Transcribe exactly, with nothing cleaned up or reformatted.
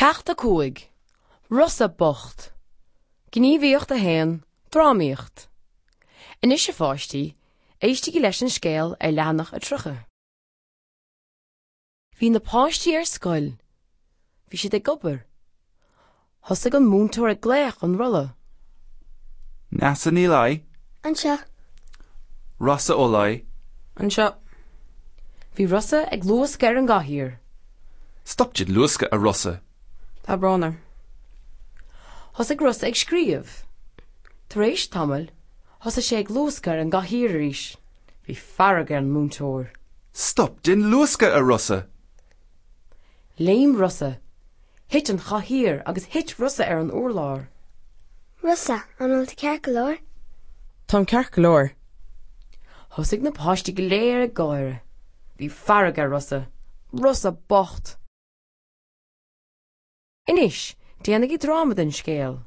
Ceacht a cúig. Rosa bocht. Gníomhaíocht a haon, Drámaíocht. Anois a pháistí, éistigí leis an scéal ar leathanach a tríocha. Bhí na páistí ar scoil. Bhí siad ag obair. Thosaigh an múinteoir ag glaoch an rolla. Neasa Ní Laoi, Anseo. Rossa Ó Laoi, Anseo. Bhí Rosa ag luascadh ar an gcathaoir. Stop den luascadh a Rosa. Tá brón orm. Thosaigh Rosa ag scríobh. Tar éis tamaill, thosaigh sé ag luascadh ar an gcathaoir arís. Bhí fearg ar an múinteoir. Stop den luascadh a Rosa. Léim Rosa. Thit an chathaoir agus thit Rosa ar an urlár. Rosa, an bhfuil tú ceart go leor? Táim ceart go leor. Thosaigh na páistí go léir ag gáire. Bhí fearg ar Rosa. Rosa bocht. Anois, déanaigí dráma den scéal.